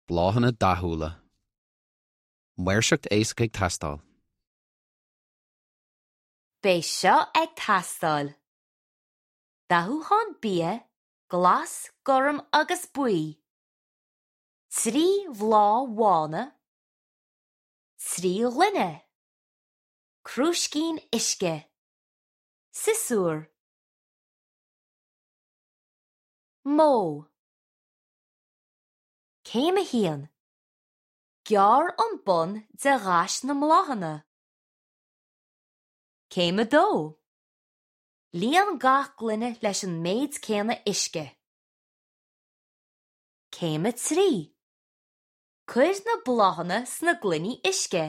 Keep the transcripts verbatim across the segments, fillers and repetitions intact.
Bláthanna dathúla. Maoirseacht éasca ag teastáil. Beidh seo ag teastáil. Dathúchán bia, glas, gorm agus buí. Trí bhláth bhána, trí ghloine, crúiscín uisce, siosúr. Modh. Céim a haon. Gearr an bun de ghais na mbláthanna. Céim a dó. Líon gach gloine leis an méid céanna uisce. Céim a trí. Cuir na bláthanna sna gloiní uisce.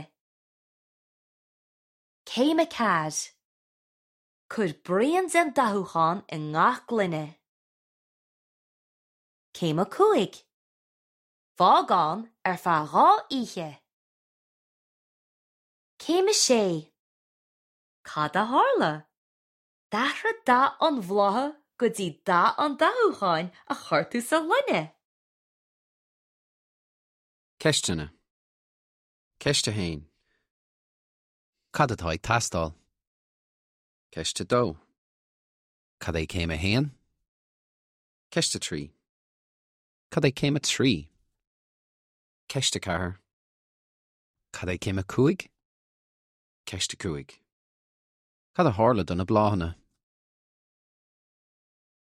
Céim a ceathair. Cuir braon den dathúchán i ngach gloine. Céim a cúig. Fág ann ar feadh dhá oíche. Céim a sé. Cad a tharla? D'athraigh dath an bhlátha go dtí dath an dathúcháin a chuir tú sa ghloine. Ceisteanna. Ceist a haon. Cad atá ag teastáil? Ceist a dó. Cad é céim a haon? Ceist a trí. Cad é céim a trí? Ceist a ceathair. Cad é céim a cúig? Ceist a cúig. Cad a tharla do na bláthanna?